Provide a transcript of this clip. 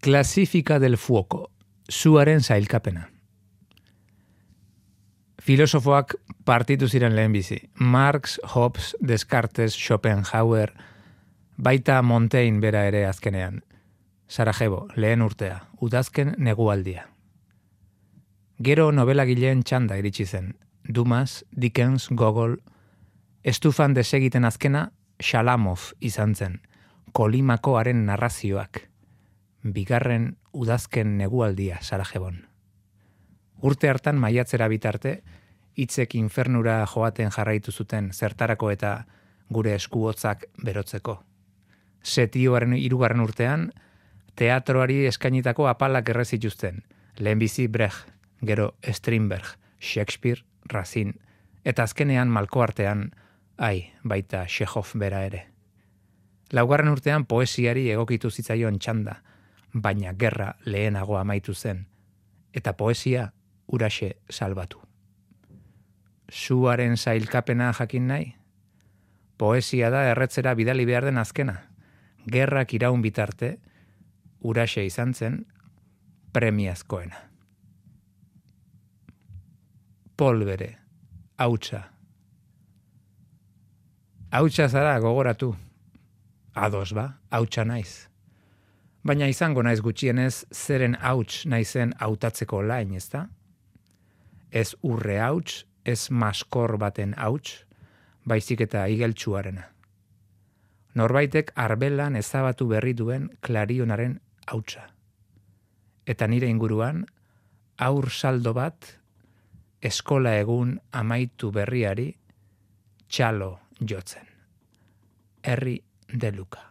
Clasifica del fuoco, zuaren zailkapena. Filosofoak partitu ziren lehenbizi. Marx, Hobbes, Descartes, Schopenhauer, baita Montaigne bera ere azkenean. Sarajevo, lehen urtea, udazken negualdia. Gero nobelagileen txanda iritsi zen. Dumas, Dickens, Gogol, estufan desegiten azkena Shalamov izan zen. Kolimakoaren narrazioak. Bigarren udazken negualdia Sarajebon. Urte hartan maiatzera bitarte, hitzek infernura joaten jarraitu zuten zertarako eta gure eskuotzak berotzeko. Setioaren 3. urtean, teatroari eskainitako apalak errezituzten. Lehenbizi Brecht, gero Strindberg, Shakespeare, Racine, eta azkenean malko artean, baita Chekhov bera ere. 4. urtean poesiari egokitu zitzaion txanda, baina gerra lehenago amaitu zen, eta poesia uraxe salbatu. Zuaren zailkapena jakin nahi? Poesia da erretzera bidali behar den azkena. Gerrak iraun bitarte, uraxe izan zen premiazkoena. Polbere, hautsa. Hautsa zara gogoratu. Ados ba, hautsa naiz. Baina izango naiz gutxienez zeren hauts naizen hautatzeko lain, ezta? Ez urre hauts, ez maskor baten hauts, baizik eta igeltsuarena. Norbaitek arbelan ezabatu berri duen klarionaren hautsa. Eta nire inguruan, aur saldo bat, eskola egun amaitu berriari, txalo jotzen. Herri de Luka.